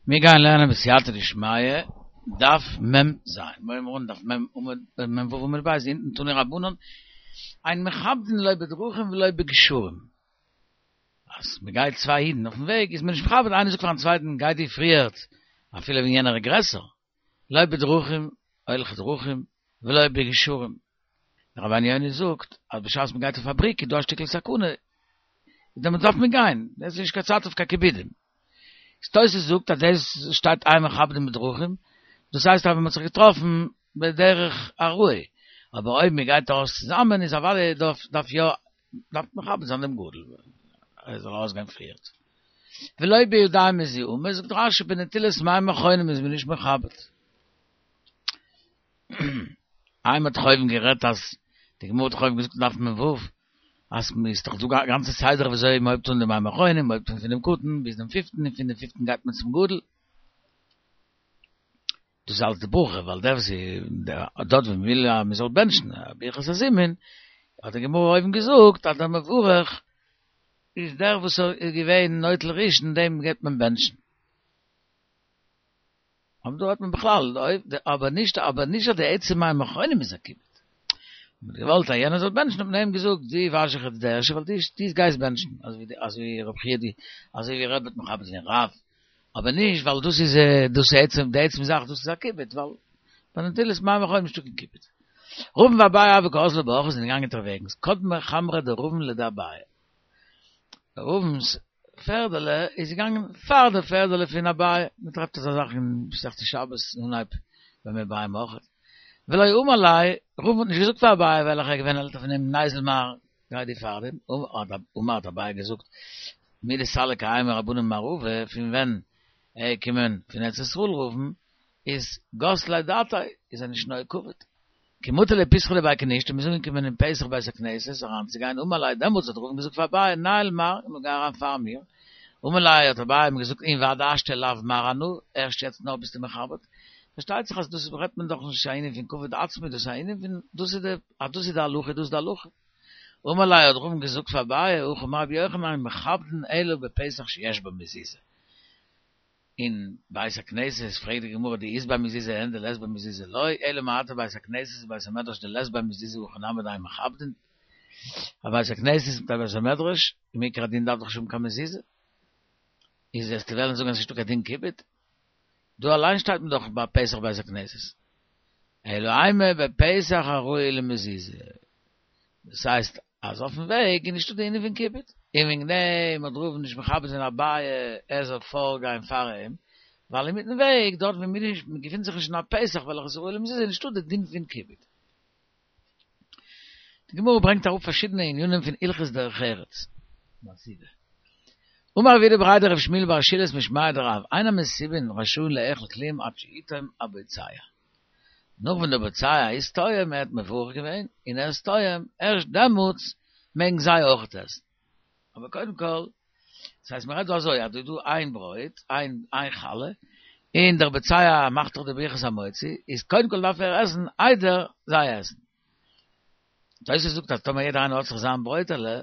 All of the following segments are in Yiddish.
מיר גייען לערנען בסייעתא דשמיא, דף מ ז, מיר הייבן אן דף מ עמוד מ ו עמוד ב', אונטן תנו רבנן, אין מכבדין לא בדרכים ולא בגשרים. אז מען גייט צוויי אידן אויפן וועג איז מען נישט מכבד איינער זאגט פארן צווייטן גיי דו פריערט אפילו ווען יענער איז גרעסער, לא בדרכים הולכי דרכים ולא בגשרים. דער רבינו יונה זאגט אז בשעת מען גייט אויף א בריק איז דא א שטיקל סכנה, דעמאלטס דארף מען גיין, עס איז נישט קיין צייט אויף קיין כיבודים. תוס' זאגט אז דאס שטייט אין מכבדין בדרכים, דאס הייסט אז מען האט זיך געטראפן בדרך עראי, אבער אויב מען גייט ארויס צוזאמען איז אוודאי דארף דארף יא דארף מען מכבד זיין דעם גדול ער זאל ארויסגיין פריערט. ולא בידיים מזוהמות, זאגט רשי בנטילת מים אחרונים איז מען נישט מכבד. איי מ'האט דאך אויבן גערעדט אז די גמרא האט דאך אויבן געזאגט אין דף מ ו אז ס'איז דאך דא א גאנצע סדר וויאזוי מ'הויבט אן די מים אחרונים, מ'הויבט אן פונעם קטן ביז דעם פיפטן און פון דעם פיפטן גייט מען צום גדול. דאס איז אלץ די ברכה ווייל דער וואס איז דארט ווי מ'וויל אז מ'זאל בענטשן ברכת הזימון האט די גמרא אויבן געזאגט אז דער מברך איז דער וואס איז געווען נוטל ראשון דעם גייט מען בענטשן. אבער דא האט מען בכלל, אבער נישט, אבער נישט אז די עצם מים אחרונים איז א כיבוד. מען האט געוואלט אז יענער זאל בענטשן האט מען איהם געזאגט דו וואש זיך יעצט די ערשטע ווייל דו דו גייסט בענטשן, אזוי ווי אזוי ווי רב חייא די אזוי ווי רבי האט מכבד געווען רב, אבער נישט ווייל דאס איז דאס איז עצם די עצם זאך דאס איז א כיבוד ווייל ביי נטילת מים אחרונים נישטא קיין כיבוד. רבין ואביי הוו קאזלי באורחא זענען געגאנגען אונטערוועגנס קדמה חמרא דרבין לדאביי. רבין'ס פערדעלע איז געגאנגען פאר די פערדעלע פון אביי, מען טרעפט אזא זאך אין מסכת שבת אנהייב במה ביי אויכעט. ולא אמר ליה, רבין האט נישט געזאגט פאר אביי וועלכער איז געווען עלטער פון אים ניזיל מר, גיי דו פאר דעם, אמר האט אביי געזאגט, מדסליק האי מרבנן ממערבא, פון ווען ער איז געקומען פון ארץ ישראל רבין, איז גס ליה דעתיה, איז ער נישט נוהג כבוד. כי מטו לפתחא דבי כנישתא, מ'איז אנגעקומען אין פתח בית הכנסת אריינצוגיין, אמר ליה, דעמאלטס האט רבין געזאגט פאר אביי, ניעול מר, נו גיי אריין פאר מיר, אמר ליה האט אביי אים געזאגט און ועד השתא לאו מר אנא, ערשט יעצט נאר ביסטו מכבד? פארשטייט זיך אז דאס רעדט מען דאך נישט א ענין פון כבוד עצמי, דאס איז א ענין פון דאס איז די אז דאס איז די הלכה איז דאס די הלכה. אמר ליה האט רבין געזאגט פאר אביי, הכי אמר רבי יוחנן אין מכבדין אלא בפתח שיש בו מזוזה. אין בית הכנסת פרעגט די גמרא דאית ביה מזוזה אין דלית ביה מזוזה לא, אלא מעתה בית הכנסת ובית המדרש דלית ביה מזוזה הכי נמי דאין מכבדין, א בית הכנסת מיט א בית המדרש, מעיקר הדין דארף דאך נישט האבן קיין מזוזה, איז וועסטו וועלן זאגן אז ס'נישטא קיין דין כיבוד? דא אליין שטייט מען דאך ביי פתח בית הכנסת. אלא אימא בפתח הראוי למזוזה. דאס הייסט אז אויפן וועג איז נישטא די ענין פון כיבוד, און וועגן דעם האט רבין נישט מכבד געווען אביי ער זאל פארגיין פאר אים, ווייל אינמיטן וועג דארט ווי מען געפינט זיך נישט אין א פתח וועלכע איז ראוי למזוזה איז נישטא די דין פון כיבוד. די גמרא ברענגט אראפ פארשידענע ענינים פון הלכות דרך ארץ. אמר רב יהודה בריה דרב שמואל בר שילת משמיה דרב, אין המסובין רשאין לאכול כלום עד שיטעום הבוצע. נאך ווען דער בוצע איז טועם, ער האט מברך געווען און ער איז טועם, ערשט דעמאלטס מעגן זיי אויכעט עסן. אבער קודם כל, דאס הייסט מען רעדט דא אזוי אז דא איז דא איין ברויט, איין איין חלה, און דער בוצע מאכט דאך די ברכת המוציא, איז קודם כל דארף ער עסן איידער זיי עסן. תוס' זאגט אז טאמער יעדער איינער האט זיך זיין ברויטעלע,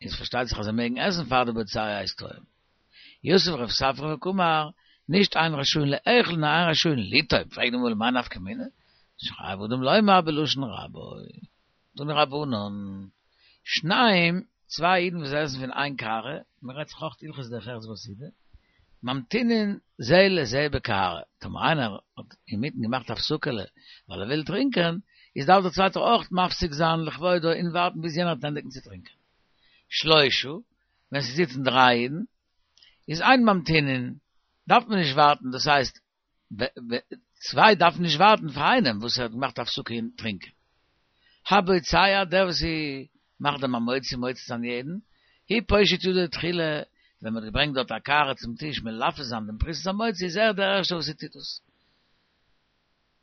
איז פארשטייט זיך אז זיי מעגן עסן פאר די בוצע איז טועם. יתיב רב ספרא וקאמר, נישט אין רשאין לאכול נאר אין רשאין לטעום, פרעגט די גמרא למאי נפקא מינה? שחייב אדם לומר בלשון רבו. תנו רבנן, שניים, צוויי אידן וואס עסן פון איין קערה, מען רעדט זיך אויך הלכות דרך ארץ בסעודה, ממתינין זה לזה בקערה, טאמער איינער האט אינמיטן געמאכט א הפסקה'לע ווייל ער וויל טרינקען, איז דארף דער צווייטער אויך מפסיק זיין לכבודו און ווארטן ביז יענער וועט ענדיגן צו טרינקען. שלושה, ווען ס'זיצן דריי אידן, איז אין ממתינין, דארף מען נישט ווארטן, דאס הייסט, צוויי דארפן נישט ווארטן פאר איינעם וואס האט געמאכט א הפסקה אין טרינקען. הבוצע, דער וואס מאכט דעם המוציא מוציא זיין יעדן, הוא פושט ידו תחילה, ווען מ'האט געברענגט דארט א קערה צום טיש מלפף זיין דעם פרוסת המוציא איז ער דער ערשטער וואס טוט דאס.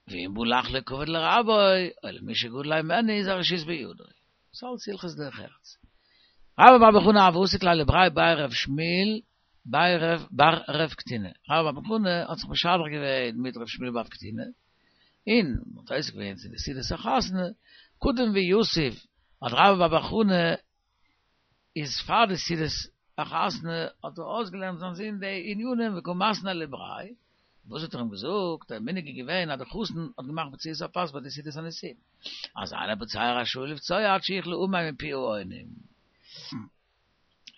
ואם בא לחלוק כבוד לרבו, או למי שגדול הימנו איז הרשות בידו. ס'אלץ הלכות דרך ארץ. רבה בר בר חנה הוה עסיק ליה לבריה בי רב שמואל בי רב בר רב קטינא. רבה בר בר חנה האט זיך משדך געווען מיט רב שמואל בר קטינא, און מ'האט עוסק געווען צו די סעודת החתונה, קדים ויתיב האט רבה בר בר חנה איז פאר די סעודת. א חתן האט ער אויסגעלערנט זיין זון די ענינים וקא מתני לבריה, וואס האט ער אים געזאגט, דער מנהג איז געווען אז דער חתן האט געמאכט בציעת הפת ביי די סעודת הנישואין, אז אין הבוצע רשאי לבצוע עד שיכלו אמן מפי העונים.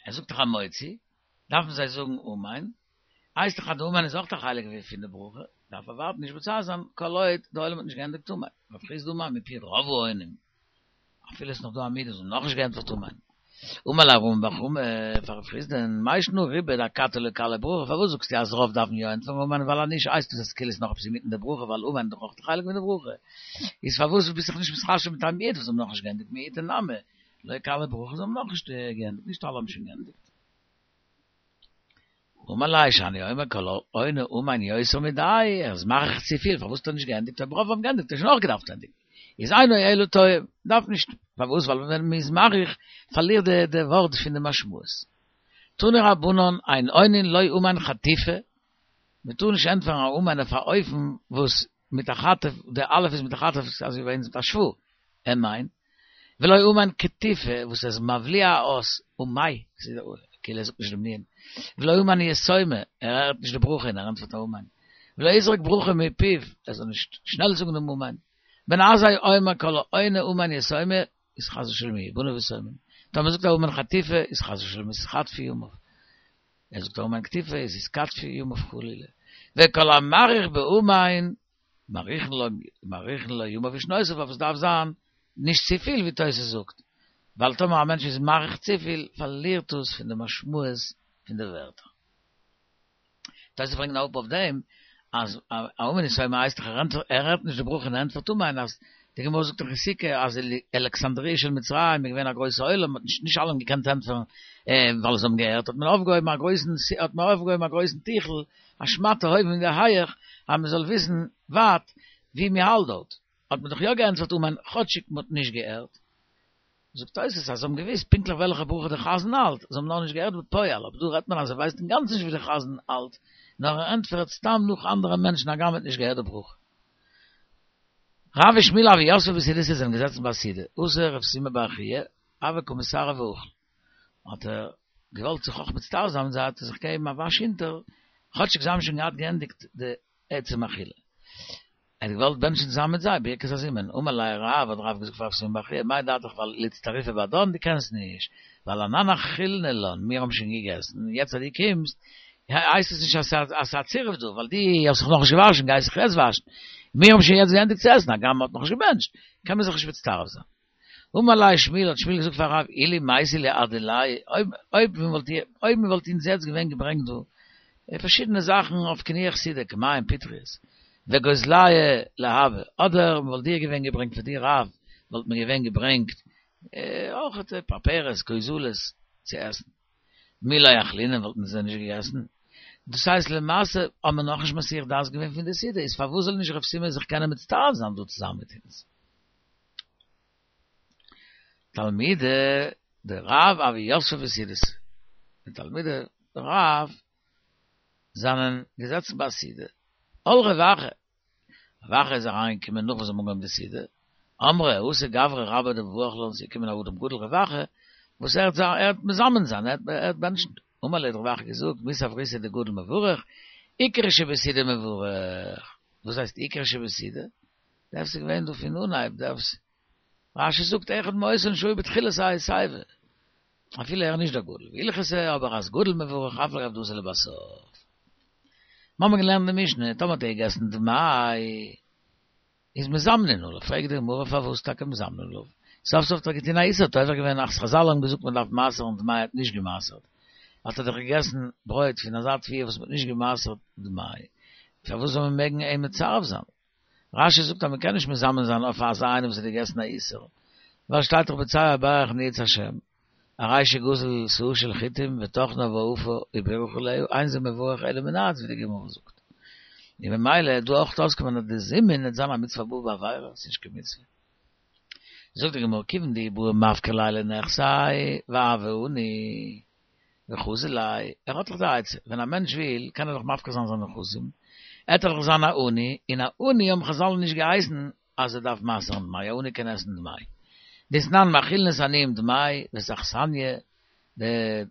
ער זאגט דאך המוציא, דארפן זיי זאגן אמן, הייסט דאך אז די אמן איז אויך א חלק פון די ברכה, דארף ער ווארטן נישט בוצע זיין כל עוד די עולם האט נישט געענדיגט אמן, רב חסדא אמר מפי רוב העונים, אפילו עס איז נאך דא א מיעוט וואס האבן נאכנישט געענטפערט אמן. אמר ליה רמי בר חמא פאר רב חסדא'ן, מאי שנא רובא דאכתי לא כלו ברכה, פארוואס זאגסטו אז רוב דארפן יא ענטפערן אמן ווייל אז נישט הייסט עס אז כאילו איז נאך עפעס אינמיטן די ברכה ווייל אמן איז דאך אויך א חלק פון די ברכה, איז פארוואס ביסט זיך נישט מתחשב מיט א מיעוט וואס האבן נאכנישט געענדיגט מיעוטא נמי לא כלו ברכה זיי האבן נאכנישט געענדיגט נישט אלע האבן שוין געענדיגט. אמר ליה שאני אומר כל העונה אמן יותר מדאי, ער איז מאריך צופיל, פארוואס האט ער נישט געענדיגט, אויב רוב האבן געענדיגט האט ער שוין אויך געדארפט ענדיגן, איז אינו אלא טועה, דארף נישט, פארוואס ווייל ווען מען איז מאריך פארלירט די די ווארט פון די משמעות. תנו רבנן אין עונין לא אמן חטיפה, מען טאר נישט ענטפערן א אמן אויף א אופן וואס מיט א חטף, די אלף איז מיט א חטף אזוי ווי ביי אונז מיט א שווא, אמן, ולא אמן קטיפה וואס איז מבליע א אות, אמאי, כאילו ער זאגט נישט דעם נון, ולא אמן יתומה, ער הערט נישט די ברכה און ער ענטפערט א אמן, ולא יזרוק ברכה מפיו, ער זאל נישט שנעל זאגן דעם אמן, בן עזאי אומר כל העונה אמן יתומה, איז חס ושלום יהיו בניו יתומים, טאמער זאגט ער אמן חטיפה איז חס ושלום יתחטפו ימיו. ער זאגט אמן קטיפה איז יתקטפו ימיו חלילה, וכל המאריך באמן מאריכין לו מאריכין לו ימיו ושנותיו אבער עס דארף זיין נישט צופיל ווי תוס' זאגט, ווייל טאמער א מענטש איז מאריך צופיל פארלירט עס פון די משמעות פון די ווערטער. תוס' ברענגט אראפ אויף דעם אז א אמן יתומה הייסט דאך ער הערט נישט די ברכה און ער ענטפערט אמן אז די גמרא זאגט דאך אין סוכה אז אין אלכסנדריה של מצרים איז געווען א גרויסע עולם האט נישט נישט אלע האבן געקענט ענטפערן ווייל זיי האבן געהערט האט מען אויפגעהויבן א גרויסן האט מען אויפגעהויבן א גרויסן טיכל א שמאטע הויבן אין די הייעך אז מען זאל וויסן ווייט ווי מען האלט דארט האט מען דאך יא געענטפערט אמן כאטשיג מען האט נישט געהערט. זאגט תוס' אז זיי האבן געוואוסט פונקטליך וועלכע ברכה דער חזן האלט, זיי האבן נאר נישט געהערט בפועל, אבער דא רעדט מען אז ער ווייסט אינגאנצן נישט ווי דער חזן האלט, נאר ער ענטפערט סתם נאך אנדערע מענטשן הגם ער האט נישט געהערט די ברכה. רב ושמואל הוו יתבי בסעודתא זענען געזעצן ביי א סעודה, אתא רב סימא בר חייא, הוה קא מצטרף ואכיל, האט ער געוואלט זיך אויך מצטרף זיין מיט זיי האט ער זיך געגעבן א וואש אונטער, כאטשיג זיי האבן שוין געהאט געענדיגט די עצם אכילה. ער האט געוואלט בענטשן צוזאמען מיט זיי ברכת הזימון, אמר ליה רב, האט רב געזאגט פאר רב סימון בר חייא, מאי דעתיך לאיצטרופי בהדן, דו קענסט נישט, ווייל אנן אכילנא לן, מיר האבן שוין געגעסן, יעצט אז דו קומסט, הייסט עס נישט אז ס'איז א צירוף דא, ווייל דו האסט זיך נאכנישט געוואשן, גייסט זיך יעצט וואשן, מיר האבן שוין יעצט געענדיגט צו עסן, הגם מ'האט נאכנישט געבענטשט, קען מען זיך נישט מצטרף זיין. אמר ליה שמואל, האט שמואל געזאגט פאר רב, אילו מייתי להו עד דיליה, אויב אויב מען וואלט אונז יעצט געווען געברענגט דא פארשידענע זאכן אויף קינוח סעודה, כמהין פטריות, וגוזליא להבא, אדער מען וואלט דיר געווען געברענגט פאר דיר רב, וואלט מען געווען געברענגט אויך פרפרות, גוזלות, צו עסן. מי לא אכלינן וואלטן זיי נישט געגעסן. דאס הייסט למעשה האט מען נאכנישט מסיח דעת געווען פון די סעודה, איז פארוואס זאל נישט רב סימון זיך קענען מצטרף זיין דא צוזאמען מיט אונז? תלמידי דרב הוו יתבי בסעודתא, די תלמידי רב זענען געזעצן ביי א סעודה, על רב אחא, רב אחא איז אריינגעקומען נאך וואס זיי האבן אנגעהויבן די סעודה, אמרי אתא גברא רבה דמברך לן, ס'איז געקומען א אדם גדול רב אחא, וואס ער וועט מזמן זיין, ער וועט בענטשן, אמר להו האט רב אחא געזאגט, מי סבריתו דגדול מברך, עיקרא שבסעודה מברך, וואס הייסט עיקרא שבסעודה? דער ס'איז געווען דא פון אנהייב דער רש"י זאגט אחד מאותן שהיו בתחילת ההסיבה אפילו ער איז נישט דער גדול והלכתא אבער אז גדול מברך אף על גב דאתא לבסוף מ'האמיר געלערנט די משנה טאמער האט ער געגעסן דמאי איז מזמנין עליו פרעגט די גמרא פארוואס טאקע מזמנין עליו סוף סוף האט ער געטון א איסור האט עובר געווען אז חזל האבן געזאגט מ'דארף מעשר'ן דמאי האט נישט געמעשר'ט האט ער דאך געגעסן ברויט פון אזא תבואה וואס מ'האט נישט געמעשר'ט דמאי פארוואס זאל מען מעגן אים מצרף זיין? רש"י זאגט אז מ'קען נישט מזמן זיין אויף אזא איינעם וואס האט געגעסן א איסור, ווייל שטייט דאך בוצע ברך נאץ השם, הרי שגזל סאה של חיטים וטחנה ואפה ובירך עליה, אין זה מברך אלא מנאץ ווי די גמרא זאגט. און ממילא איז דא אויך אויסקומען אז די זימון וועט זיין א מצוה הבאה בעבירה, ס'איז נישט קיין מצוה. זאגט די גמרא כיוון דאי בעי מפקר ליה לנכסיה והוה עני. וחזי ליה, ער האט דאך די עצה, ווען א מענטש וויל, קען ער דאך מפקיר זיין זיינע נכסים, ער וועט דאך זיין א עני, און א עני האבן חזל נישט געהייסן אז ער דארף מעשר'ן דמאי, א עני קען עסן דמאי. דתנן מאכילין את העניים דמאי, ואת האכסניא, די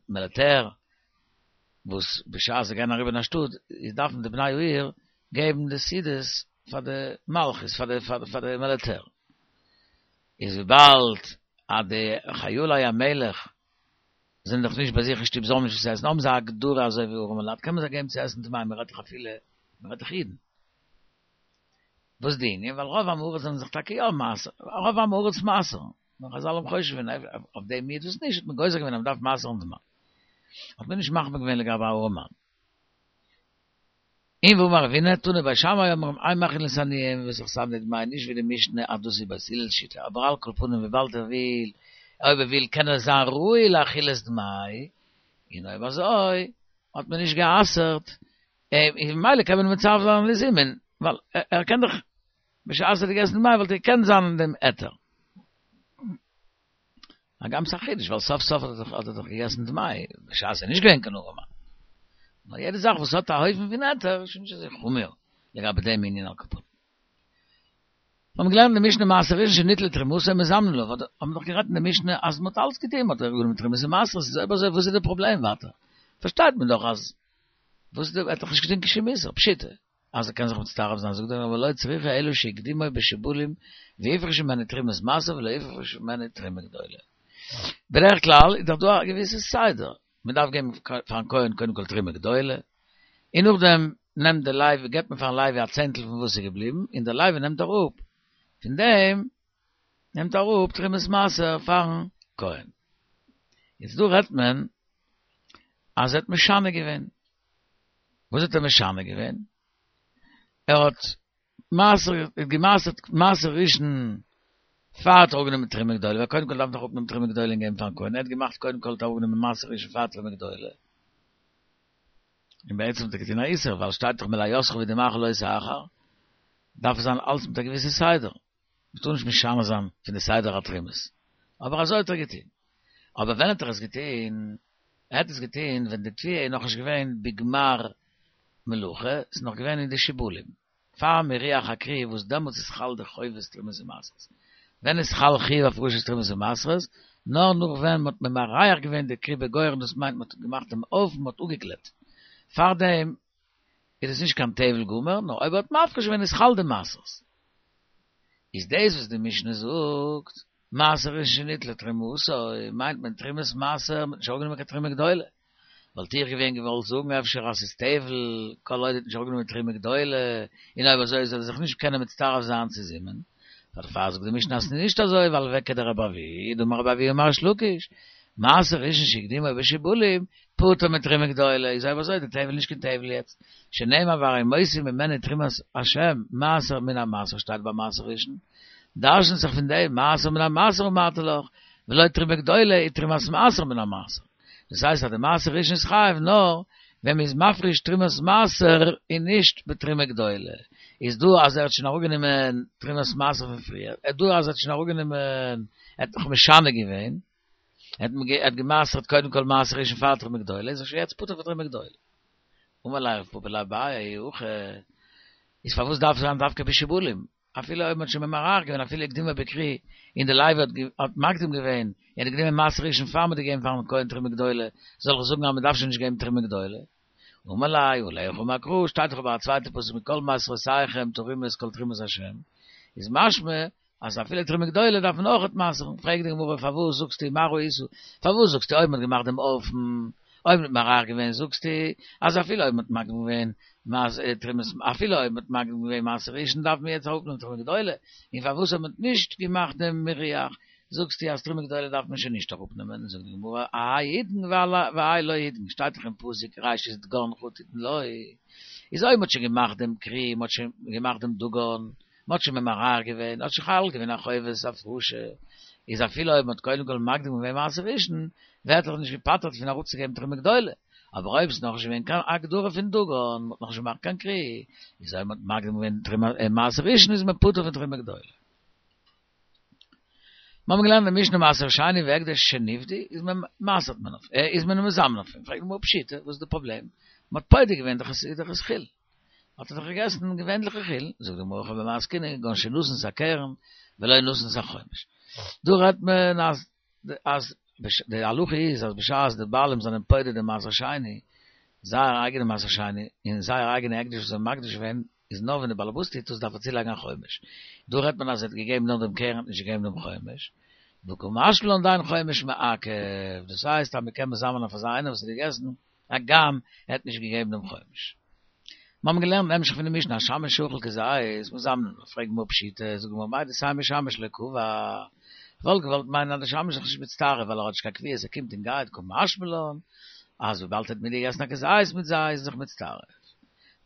מיליטער. וואס בשעת זיי גייען אריבער אין א שטאט איז דארפן די בני העיר געבן די סעודות פאר די מלכות פאר די פאר די מיליטער איז וויבאלד אז די חיילי המלך זענען דאך נישט ביי זיך אין שטוב זיי האבן נישט וואס צו עסן האבן זיי א הגדרה אזוי ווי ארעמע לייט קען מען זיי געבן צו עסן דמאי מען רעדט דאך אפילו מען רעדט דאך אידן וואס די ענין ווייל רוב עם הארץ זענען זיך טאקע יא מעשר רוב עם הארץ מעשר'ן נאר חזל האבן חושש געווען אויף דעם מיעוט וואס נישט האט מען גוזר געווען אז מען דארף מעשר'ן דמאי האט מען נישט מחמיר געווען לגבי א ארעמאן. און ואמר רב הונא, תנו בית שמאי אומרים אין מאכילין את העניים בבשר דמאי נישט ווי די משנה אז דאס איז בית הלל שיטה אבער על כל פנים וויבאלד ער וויל אויב ער וויל קען ער זיין ראוי לאכילת דמאי און אויב אזוי האט מען נישט גע'אסר'ט און ממילא קען מען מצרף זיין לזימון ווייל ער קען דאך בשעת ער האט געגעסן דמאי וואלט ער געקענט זיין אין דעם היתר. הגם ס'איז א חידוש ווייל סוף סוף האט ער דאך געגעסן דמאי בשעת ער איז נישט געווען קיין ארעמאן. נאר יעדע זאך וואס האט א אופן פון היתר איז שוין נישט אזוי חמור לגבי דעם ענין על כל פנים. מיר האבן געלערנט אין די משנה מעשר ראשון שניטלה תרומתו מזמנין עליו, האט מען דאך גערעדט אין די משנה אז מ'האט אלץ געטון, מ'האט אראפגענומען תרומות און מעשרות, איז אויב אזוי וואס איז די פראבלעם ווייטער? פארשטייט מען דאך אז וואס איז די, ער האט דאך נישט געטון קיין שום איסור, פשיטא. אז ער קען זיך מצטרף זיין, זאגט דער רבי לא צריכא אלא שהקדימו בשיבולים והפריש ממנו תרומת מעשר ולא הפריש ממנו תרומה גדולה. בדרך כלל איז דאך דא א געוויסע סדר, מען דארף געבן פארן כהן קודם כל תרומה גדולה, און נאכדעם נעמט דער לוי, געבט מען פארן לוי א צענטל פון וואס איז געבליבן, און דער לוי נעמט אראפ פון דעם נעמט אראפ תרומת מעשר פארן כהן. יעצט דא רעדט מען אז ער האט משנה געווען, וואס האט ער משנה געווען? ער האט מעשר, געמעשר'ט מעשר ראשון פאר ער האט אראפגענומען תרומה גדולה, ווייל קודם כל דארף מען דאך אראפנעמען תרומה גדולה און געבן פארן כהן, ער האט געמאכט קודם כל האט ער אראפגענומען מעשר ראשון פאר תרומה גדולה, און בעצם האט ער געטון א איסור, ווייל שטייט דאך מלאתך ודמעך לא תאחר, דארף עס זיין אלץ מיט א געוויסע סדר. מ'טאר נישט משנה זיין פון די סדר התרומות. אבער אזוי האט ער געטון. אבער ווען האט ער עס געטון? ער האט עס געטון ווען די תבואה איז נאכנישט געווען בגמר מלאכה, ס'איז נאך געווען אין די שיבולים, פאר מירוח הכרי וואס דעמאלטס איז חל די חובת תרומות ומעשרות. ווען איז חל חיוב הפרשת תרומות ומעשרות? נאר נאך ווען מ'האט ממרח געווען די כרי בגורן דאס מיינט מ'האט געמאכט דעם אופן מ'האט אפגעגלעט. פארדעם איז עס נישט קיין טבל גמור, נאר אויב ער האט מפריש געווען איז חל די מעשרות. איז דאס וואס די משנה זאגט, מעשר ראשון שניטלה תרומתו, מיינט מען תרומת מעשר, מ'האט נישט אראפגענומען קיין תרומה גדולה. וואלט איך געווען געוואלט זאגן אפשר אז ס'איז טבל, כל עוד ער האט נישט אראפגענומען תרומה גדולה, און אויב אזוי זאל ער זיך נישט קענען מצטרף זיין צו זימון. דערפאר זאגט די משנה אז ס'איז נישט אזוי, ווייל וכדרבי אבהו, דאמר רבי אבהו אמר ריש לקיש, מעשר ראשון שהקדימו בשיבולים, פטור מתרומה גדולה, איז אויב אזוי די טבל נישט קיין טבל יעצט, שנאמר והרימותי ממנו תרומת השם מעשר מן המעשר שטייט ביי מעשר ראשון, דרש'נט זיך פון דעם מעשר מן המעשר אמרתי לך, ולא תרומה גדולה היא תרומת מעשר מן המעשר. דאס הייסט אז די מעשר ראשון איז חייב נאר ווען מ'איז מפריש תרומת מעשר און נישט בתרומה גדולה. איז דא אז ער האט שוין אראפגענומען תרומת מעשר פון פריער, דא אז ער האט שוין אראפגענומען, ער האט נאך משנה געווען. ער האט געמעשר'ט קודם כל מעשר ראשון פאר תרומה גדולה, איז ער שוין יעצט פטור פון תרומה גדולה. אמר ליה רב פפא לאביי אי הכי, איז פארוואס דארף זיין דווקא בשיבולים? אפילו אויב מ'האט שוין ממרח געווען אפילו הקדימו בכרי, און די לוי האט מקדים געווען, ער האט גענומען מעשר ראשון פאר מ'האט געגעבן פארן כהן תרומה גדולה, זאל איך זאגן אז מ'דארף שוין נישט געבן תרומה גדולה? אמר ליה עליך אמר קרא, שטייט דאך אבער א צווייטע פסוק מכל מעשרותיכם תרימו את כל תרומת השם, איז משמע אז אפילו תרומה גדולה דארף מען אויכעט מעשר'ן, פרעגט די גמרא פארוואס זאגסטו מה ראית, פארוואס זאגסטו אויב מ'האט געמאכט דעם אופן, אויב מ'האט ממרח געווען זאגסטו אז אפילו אויב מ'האט מקדים געווען תרומת אפילו אויב מ'האט מקדים געווען מעשר ראשון דארף מען יעצט אראפנעמען תרומה גדולה, און פארוואס אויב מ'האט נישט געמאכט דעם מירוח זאגסטו אז תרומה גדולה דארף מען שוין נישט אראפנעמען, זאגט די גמרא האי עידן והאי לא עידן, שטייט דאך אין פסוק ראשית דגנך תתן לו, איז אויב מ'האט שוין געמאכט דעם כרי, מ'האט שוין געמאכט דעם דגן, מ'האט שוין ממרח געווען, האט שוין חל געווען א חובת הפרשה, איז אפילו אויב מ'האט קודם כל מקדים געווען מעשר ראשון, ווערט ער נישט געפטר'ט פון אראפצוגעבן תרומה גדולה, אבער אויב ס'איז נאכנישט געווען קיין הגדרה פון דגן, מ'האט נאכנישט געמאכט קיין כרי, איז אויב מ'האט מקדים געווען תרומה מעשר ראשון איז מען פטור פון תרומה גדולה. מיר האבן געלערנט אין משנה מעשר שני והקדש שנפדו, איז מען מעשר'ט מען אויף, איז מען מזמן אויף אים, פרעגט די גמרא פשיטא, וואס איז די פראבלעם? מ'האט פודה געווען דאך איז דאך עס חולין. האט ער דאך געגעסן געווענליכע חולין, זאגט די גמרא הכא במאי עסקינן כגון שנתן את הקרן ולא נתן את החומש. דא רעדט מען אז אז די הלכה איז אז בשעת די בעלים זענען פודה די מעשר שני, זייער אייגענע מעשר שני און זייער אייגענע הקדש וואס זיי האבן מקדיש געווען איז נאר ווען די באלעבאס טוט עס דארף ער צולייגן א חומש. דא רעדט מען אז ער האט געגעבן נאר דעם קרן האט נישט געגעבן דעם חומש. וקא משמע לן דאין חומש מעכב, דאס הייסט אז מען קען מזמן אויף אזא איינער וואס האט געגעסן הגם ער האט נישט געגעבן דעם חומש. מיר האבן געלערנט אין המשך פון די משנה השמש שאכל כזית מזמנין עליו, פרעגט גמרא פשיטא, זאגט גמרא מהו דתימא שמש לא קבע, כ'וואלט געוואלט מיינען אז די שמש איז זיך נישט מצטרף ווייל ער האט נישט קיין קביעות ער קומט און גייט קא משמע לן אז וויבאלד ער האט מיטגעגעסן א כזית מיט זיי איז ער זיך מצטרף.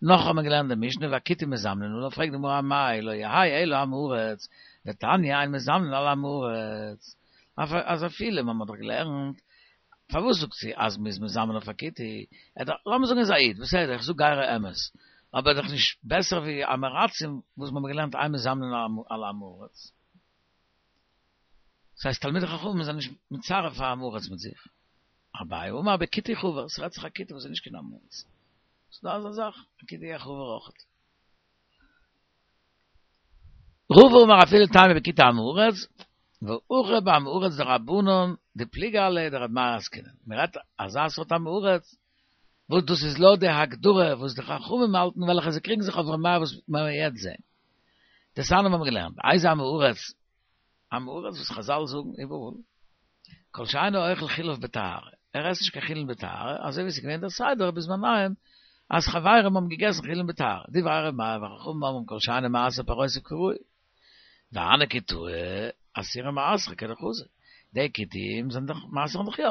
נאך האבן מיר געלערנט די משנה והכותים מזמנין עליו, פרעגט די גמרא אמאי לא יהא אלא עם הארץ, דתניא אין מזמנין על עם הארץ, אז אפילו מ'האט דאך געלערנט פארוואס זאגט זי אז מ'איז מזמן אויף א כותי? לאמיר זאגן ער איז א איד, בסדר, איך זאג גייער אמת, אבער דאך נישט בעסער ווי עם הארצים וואס מ'האט געלערנט אין מזמנין על עם הארץ. דאס הייסט תלמידי חכמים זענען נישט מצרף א עם הארץ מיט זיך. אביי אמר בכותי חבר, ס'רעדט זיך א כותי וואס איז נישט קיין עם הארץ. ס'דא אזא זאך, א כותי א חבר אויכעט. רבא אמר אפילו תימא בכותי עם הארץ, והכא בעם הארץ דרבנן דפליגי עליה דרבי מאיר עסקינן. מ'רעדט אזא סארט עם הארץ, וואס דאס איז לויט די הגדרה וואס די חכמים האלטן וועלכע זיי קריגן זיך אויף ר' מאיר וואס מיר וועלן יעצט זען. דתניא האבן מיר געלערנט, איזה עם הארץ, עם הארץ וואס חזל זאגן איבעראל, כל שאינו אוכל חוליו בטהרה, ער עסט נישט קיין חולין בטהרה, אזוי ווי עס איז געווען דער סדר בזמניהם אז חברים האבן געגעסן חולין בטהרה, דברי ר' מאיר וחכמים אומרים כל שאינו מעשר פירותיו כראוי, והני כותאי אסורי מעשרא כדחזי, די כותים זענען דאך מעשר'ן דאך יא,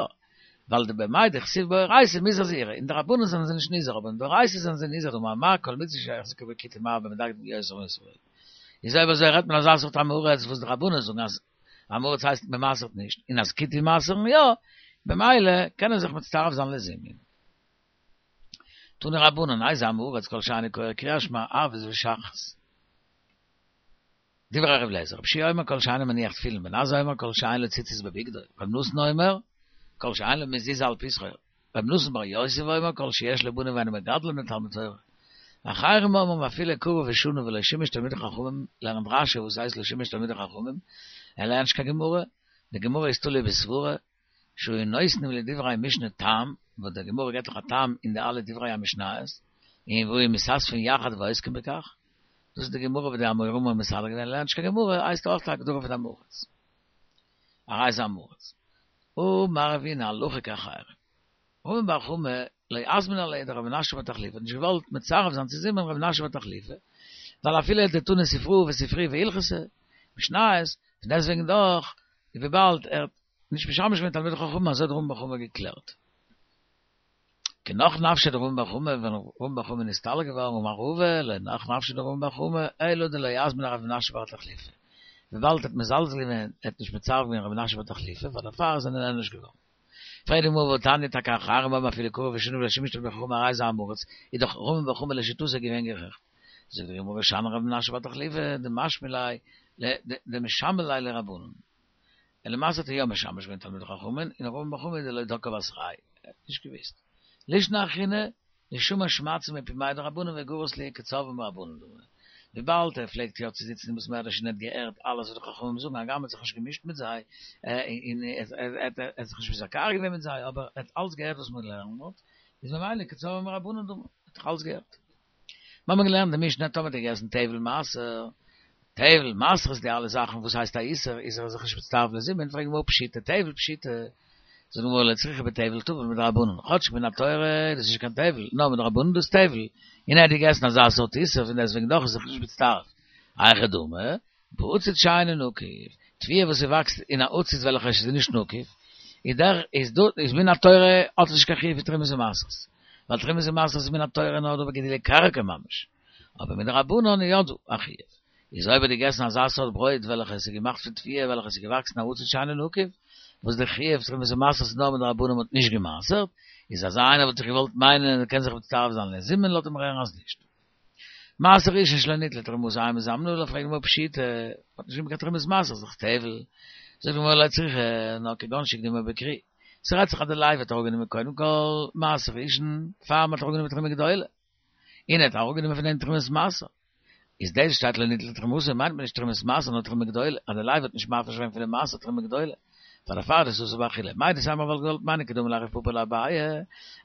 ווייל דבמאי דכתיב באורייתא מוזהר זהירי, אין דרבנן זענען זיי נישט נזהר אבער אין דאורייתא זענען זיי נזהר דאמר מר כל מצוה שהחזיקה בה כותי מרבה ומדקדק יותר מישראל. איז אויב אזוי רעדט מען אזא סארט עם הארץ וואס די רבנן זאגן אז עם הארץ הייסט מען מעשר'ט נישט און אז כותים מעשר'ן יא, במילא קען ער זיך מצטרף זיין לזימון. תנו רבנן, איזה עם הארץ כל שאינו קורא קריאת שמע ערבית ושחרית. דברי ר' אליעזר, רבי יהושע אומר כל שאינו מניח תפילין, בן עזאי אומר כל שאין לו ציצית בבגדו, רבי נתן אומר כל שאין לו מזוזה על פתחו, רבי נתן בר יוסף אומר כל שיש לו בנים ואינו מגדלם לתלמוד תורה. אחרים אומרים אפילו קרא ושנה ולא שימש תלמידי חכמים, לערנט רשי וואס הייסט לא שימש תלמידי חכמים, ער לערנט נישט קיין גמרא, די גמרא איז תלוי בסברה, שהיו נותנים לדברי משנה טעם, וואס די גמרא געבט דאך א טעם אין די אלע דברי המשניות, און והיו מתאספין יחד ועוסקים בכך, דאס איז די גמרא וואס די אמוראים האבן מסדר געווען, לערנט נישט קיין גמרא, הייסט אויך א הגדרה פון עם הארץ. הרי זה עם הארץ. אמר רבינא הלכה כאחרים. רמי בר חמא לא אזמין עליה דרב מנשיא בר תחליפא האט נישט געוואלט מצרף זיין צו זימון רב מנשיא בר תחליפא, ווייל אפילו דתני ספרא וספרי והלכתא, משניות, פון דעסטוועגן דאך, וויבאלד ער האט נישט משמש געווען תלמידי חכמים אזוי האט רמי בר חמא געקלערט. כי נח נפשיה דרמי בר חמא, ווען רמי בר חמא איז נסתלק געווארן אמר רבא, לא נח נפשיה דרמי בר חמא, אלא דלא אזמין רב מנשיא בר תחליפא. וויבאלד ער האט מזלזל געווען, ער האט נישט מצרף געווען רב מנשיא בר תחליפא, פאר דערפאר איז ער נענש געווארן. פרעגט די גמרא והתניא טאקע אחרים אומרים אפילו קרא ושנה ולא שימש תלמידי חכמים הרי זה עם הארץ, איז דאך רמי בר חמא לשיטתו געווען גערעכט. זאגט די גמרא שאני רב מנשיא בר תחליפא דמשמע ליה דמשמע ליה לרבנן. און למעשה האט ער יא משמש געווען תלמידי חכמים, און רמי בר חמא דלא דקא בתרייהו, ער האט נישט געוואוסט. לישנא אחרינא, דשמע שמעתתא מפומייהו דרבנן וגריס להו כצורבא מרבנן דמי. וויבאלד ער פלעגט יא צו זיצן אין בית מדרש און ער האט געהערט אלעס וואס די חכמים זאגן, הגם ער האט זיך נישט געמישט מיט זיי, און ער האט זיך נישט מתווכח געווען מיט זיי, אבער ער האט אלץ געהערט וואס מען לערנט דארט, איז ממילא כצורבא מרבנן דמי, ער האט דאך אלץ געהערט. מיר האבן געלערנט די משנה טאמער האט ער געגעסן טבל מעשר, טבל מעשר איז די אלע זאכן וואס הייסט א איסור, איז ער זיך נישט מצטרף לזימון, פרעגט די גמרא פשיטא טבל פשיטא, זאגט די גמרא לא צריכא בטבל טבול מדרבנן, כאטש מן התורה איז דאס נישט קיין טבל, נאר מדרבנן דאס טבל, און ער האט געגעסן אזא סארט איסור פון דעסטוועגן דאך איז זיך נישט מצטרף, היכי דמי, בעציץ שאינו נקוב, תבואה וואס ס'וואקסט אין א עציץ וועלכע איז נישט נקוב, איז דער איז דא איז מן התורה האט עס נישט קיין חיוב פון תרומות ומעשרות, ווייל תרומות ומעשרות איז מן התורה נאר דא בגידולי קרקע ממש, אבער מדרבנן איז יא דא א חיוב, איז אויב האט געגעסן אזא סארט ברויט וועלכע עס איז געמאכט פון תבואה וועלכע עס איז געוואקסן אין א עציץ שאינו נקוב, וואס די חיוב תרומות ומעשרות איז נאר מדרבנן מ'האט נישט געמעשרט, איז אזא איינער וואלט איך געוואלט מיינען ער קען זיך מצטרף זיין לזימון לויט דעם רערן אז נישט. מעשר ראשון שלא ניטלה תרומתו אין מזמנין עליו פרעגט די גמרא פשיטא, מ'האט נישט גענומען קיין תרומת מעשר ס'איז דאך טבל, זאגט די גמרא לא צריכא, נאר כגון שהקדימו בכרי, ס'רעדט זיך אז די לוי האט אראפגענומען קודם כל מעשר ראשון פאר מ'האט אראפגענומען תרומה גדולה, און ער האט אראפגענומען פון דעם תרומת מעשר, איז דאס שטייט לא ניטלה תרומתו מיינט מען נישט תרומת מעשר נאר תרומה גדולה, אז די לוי האט נישט מפריש געווען פון די מעשר תרומה גדולה. פאר דערפאר איז אסור באכילה. מהו דתימא וואלט געוואלט מיינען כדאמר ליה רב פפא לאביי,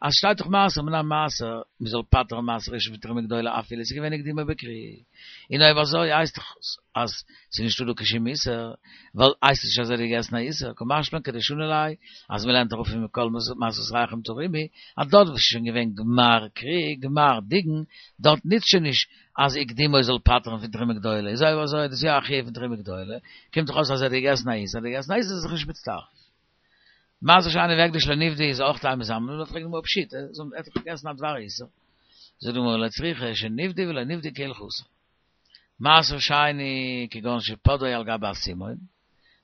אז שטייט דאך מעשר מן המעשר, מען זאל פטר'ן מעשר ראשון פון תרומה גדולה אפילו עס איז געווען הקדימו בכרי. און אויב אזוי הייסט דאך אז ס'איז נישטא דא קיין שום איסור, ווייל הייסט עס נישט אז ער האט געגעסן א איסור, קא משמע לן כדשני ליה, אז מ'לערנט אראפ פון מכל מעשרותיכם תרימו, אז דארט וואו ס'איז שוין געווען גמר כרי, גמר דיגון, דארט נוצט שוין נישט אז הקדימו זאל פטר'ן פון תרומה גדולה, איז אויב אזוי איז דאס יא א חיוב פון תרומה גדולה, קומט דאך אויס אז ער האט געגעסן א איסור, אז ער האט געגעסן א איסור איז ער זיך נישט מצטרף. מעשר שני והקדש לא נפדה איז אויך אין מזמנין עליו, פרעגט די גמרא פשיטא, ער האט דאך געגעסן א דבר איסור. זאגט די גמרא לא צריכא שנפדה ולא נפדה כהלכתן. מעשר שני כגון שפדאו על גבי אסימון,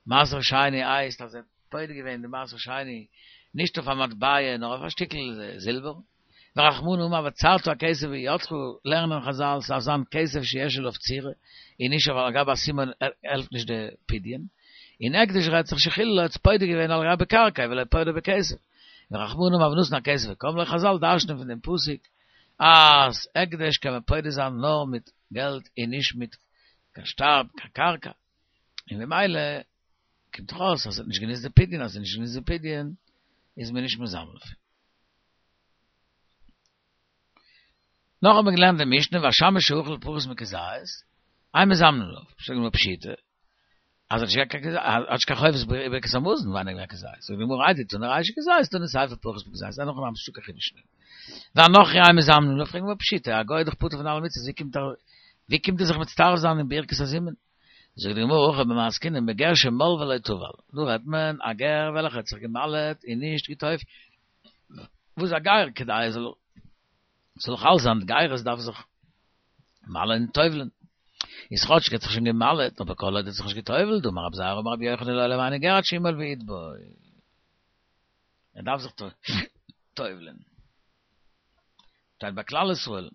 מעשר שני הייסט אז ער האט פודה געווען די מעשר שני נישט אויף א מטבע נאר אויף א שטיקל זילבער, ורחמנא אמר וצרת הכסף בידך, לערנען חזל ס'דארף זיין כסף שיש עליו צורה, און נישט אויף על גבי אסימון העלפט נישט די פדיון, און הקדש רעדט זיך שחיללו האט עס פודה געווען על גבי קרקע ולא פודה בכסף, ורחמנא אמר ונתן הכסף וקם ליה חזל דרש'נען פון דעם פסוק אז הקדש קען מען פודה זיין נאר מיט געלט און נישט מיט קיין שטר קיין קרקע, און ממילא קומט דאך אויס אז עס האט נישט גענוצט די פדיון, אז עס האט נישט גענוצט די פדיון איז מען נישט מזמן דערפון. נאך האט מען געלערנט די משנה והשמש שאכל פחות מכזית, אין מזמנין עליו, זאגט די גמרא פשיטא, אז ער האט נישט קיין חובת ברכת המזון ווייניגער ווי א כזית, זאגט די גמרא איידי תנא רישא כזית תנא סיפא פחות מכזית, אין הכי נמי ס'נישטא קיין חידוש אין דעם. והנכרי אין מזמנין עליו, פרעגט די גמרא פשיטא, א גוי איז דאך פטור פון אלע מצוות, ווי קומט ער ווי קומט ער זיך מצטרף זיין אין ברכת הזימון? זאגט די גמרא הכא במאי עסקינן בגר שמל ולא טבל, דא רעדט מען א גר וועלכער האט זיך געמל'עט און נישט געטובל'ט, וואס א גר כדי ער זאל זאל חל זיין די גירות דארף זיך מל'ען און טובל'ען, איז כאטש ער האט זיך שוין געמל'עט אבער כל עוד ער האט זיך נישט געטובל'ט, דאמר רבי זירא אמר רבי יוחנן לעולם אינו גר עד שימול ויטבול, ער דארף זיך טובל'ען. שטייט ביי כלל ישראל.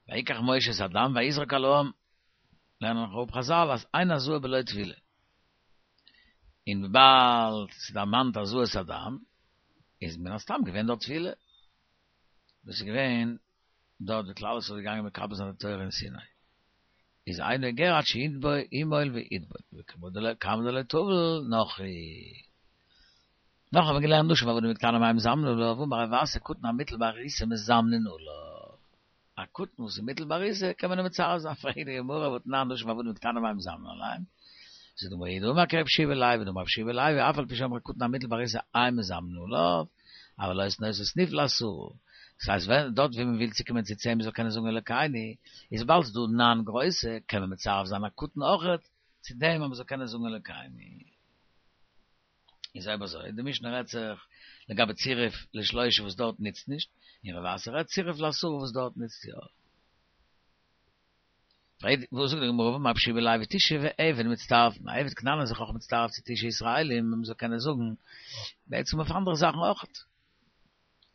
ויקח משה את הדם ויזרק על העם, לערנען נאך אפ חזל אז אין הזאה בלא טבילה, און וויבאלד ס'דערמאנט הזאת הדם, איז מן הסתם געווען דארט טבילה, דאס איז געווען דארט ווי כלל ישראל איז געגאנגען מקבל זיין די תורה אין סיני, איז אינו גר עד שיטבול ימול ויטבול, וכמה דלא טבל נכרי. נאך האבן מיר געלערנט נשים ועבדים וקטנים אין מזמנין עליו, אמר רב אסי קטן המוטל בעריסה מזמנין עליו. א קטן וואס איז מוטל בעריסה קען מען אים מצרף זיין, פרעגט די גמרא והתנן נשים ועבדים וקטנים אין מזמנין עליהם, זאגט די גמרא הוא דאמר כרבי יהושע בן לוי דאמר רבי יהושע בן לוי אף על פי שאמרו קטן המוטל בעריסה אין מזמנין עליו, אבל עושין אותו סניף לעשרה. דאס הייסט ווען דארט ווי מען וויל צוקומען צו צען מען זאל קענען זאגן אלוקינו, איז וויבאלד ס'איז דא ניין גרויסע קען מען מצרף זיין א קטן אויכעט צו דעם אז מען זאל קענען זאגן אלוקינו. איז אויב אזוי, די משנה רעדט זיך לגבי צירוף לשלושה וואס דארט נוצט נישט, און רב אסי רעדט צירוף לעשרה וואס דארט נוצט יא. פרעגט, וואס זאגט די גמרא והאמר רבי יהושע בן לוי תשעה ועבד מצטרפין, א עבד כנעני איז זיך אויך מצטרף צו תשעה ישראלים, מען זאל קענען זאגן בעצם אויף אנדערע זאכן אויכעט.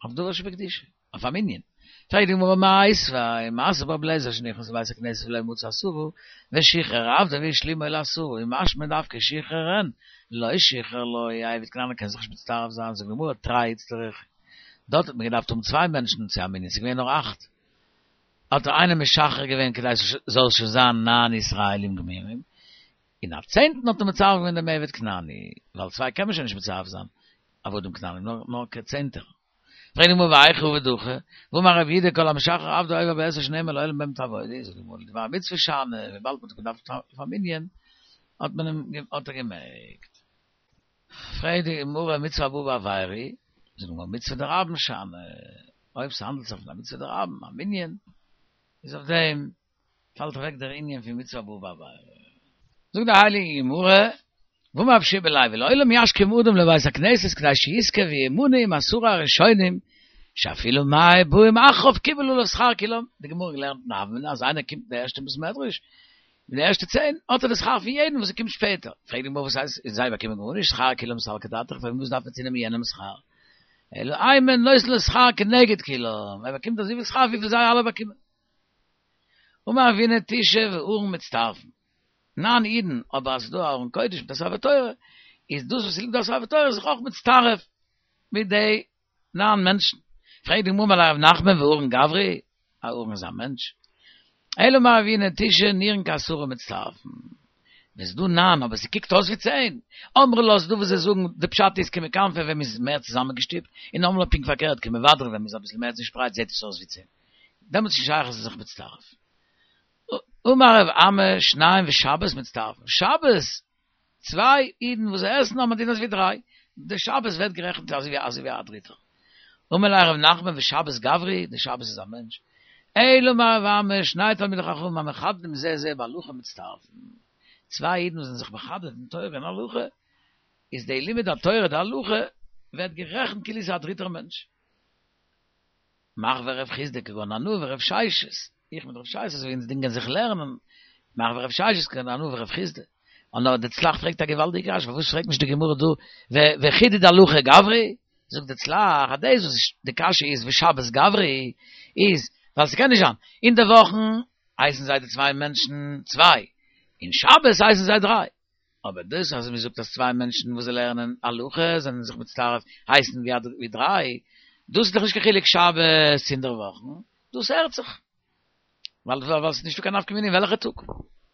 אויף דבר שבקדושה, אויף א מנין. פרעגט די גמרא מיתיבי, מעשה ברבי אליעזר שנכנס לבית הכנסת ולא מצא עשרה, ושחרר עבדו והשלימו לעשרה, און משמע דווקא שחרר אין, לא שחרר לא, א עבד כנעני קען זיך נישט מצטרף זיין, זאגט די גמרא תרי איצטריך, דארט האט מען געדארפט האבן צוויי מענטשן צו א מנין, ס'איז געווען נאר אכט, האט ער איינעם משחרר געווען כדי ס'זאל שוין זיין ניין ישראלים גמורים, און א צענטן האט ער מצרף געווען דעם עבד כנעני, ווייל צוויי קען מען שוין נישט מצרף זיין, עבדים כנענים, נאר כצענטער. פרעגט די גמרא והיכא עביד הכי, והאמר רב יהודה כל המשחרר עבדו עובר בעשה שנאמר לעולם בהם תעבודו, זאגט די גמרא לדבר מצוה שאני, וויבאלד מ'האט געדארפט אויף א מנין, האט מען אים האט ער געמעגט. פרעגט די גמרא מצוה הבאה בעבירה היא, זאגט די גמרא מצוה דרבים שאני, אויב ס'האנדלט זיך פון א מצוה דרבים, א מנין, איז אויף דעם פאלט אוועק דער ענין פון מצוה הבאה בעבירה. זאגט די הייליגע גמרא, והאמר רבי יהושע בן לוי, לעולם ישכים אדם לבית הכנסת כדי שיזכה וימנה עם עשרה הראשונים, שאפילו מאה באים אחריו קיבל עליו שכר כולם, די גמרא געלערנט אין הוה אמינא אז איינער קומט אין די ערשטע בית מדרש, אין די ערשטע צען, האט ער די שכר פון יעדן וואס קומט שפעטער. פרעגט די גמרא וואס הייסט, און זיי באקומען גארנישט, שכר כולם סלקא דעתך, פארוואס דארף מען צונעמען יענעמ'ס שכר? אלא אימא נותן לו שכר כנגד כולם, ער באקומט אזויפיל שכר וויפיל זיי אלע באקומען. אמר רבינא תשעה וארון מצטרפין, ניין אידן, אבער אז ס'איז דא א ארון קודש מיט א ספר תורה, איז דאס וואס ס'ליגט דא א ספר תורה איז זיך אויך מצטרף מיט די ניין מענטשן. פרעגט די גמרא אמר ליה רב נחמן וארון גברא, א ארון איז א מענטש? אלא אמר רבינא תשעה ניעורין כעשרה מצטרפין. ווען ס'איז דא ניין אבער ס'קוקט אויס ווי צען, אמרי לה ס'דא וואס זיי זאגן די פשט איז כמכנפי ווען מ'איז מער צוזאמענגעשטופט, און אמרי לה פונקט פארקערט כמבדרי ווען מ'איז אביסל מער צושפרייט זעט עס אויס ווי צען. דעמאלטס איז נישט שייך אז ס'איז זיך מצטרף. אמר רב אמי שניים ושבת מצטרפין, שבת צוויי אידן וואס עסן האבן א דין אזווי דריי, די שבת ווערט גערעכנט אזווי אזווי א דריטער. אמר ליה רב נחמן ושבת גברא, די שבת איז א מענטש. אלא אמר רב אמי שני תלמידי חכמים המחדדים זה את זה בהלכה מצטרפין, צוויי אידן וואס זענען זיך מחדד אין תורה און הלכה, איז די לימוד התורה די הלכה ווערט גערעכנט כאילו ס'איז א דריטער מענטש. מר ורב חסדא כגון אנא ורב ששת, איך מיט רב ששת אזוי ווי אונז דינגען זיך לערנען, מר ורב ששת כגון אנא ורב חסדא. און נאר די צל"ח פרעגט א געוואלדיגע קשיא, פארוואס פרעגט נישט די גמרא דא וחידוד הלכה גברא? זאגט די צל"ח אז דאס וואס די קשיא איז ושבת גברא איז ווייל ס'קען נישט זיין, אין די וואכן הייסן זיי די צוויי מענטשן צוויי, און שבת הייסן זיי דריי. אבער דאס אז מ'זאגט אז צוויי מענטשן וואס זיי לערנען הלכה זענען זיך מצטרף הייסן ווי דריי, דאס איז דאך נישט קיין חילוק שבת אינדערוואכן, דאס הערט זיך, ווייל ווייל ס'איז נישטא קיין נפקא מינה אין וועלכע טאג.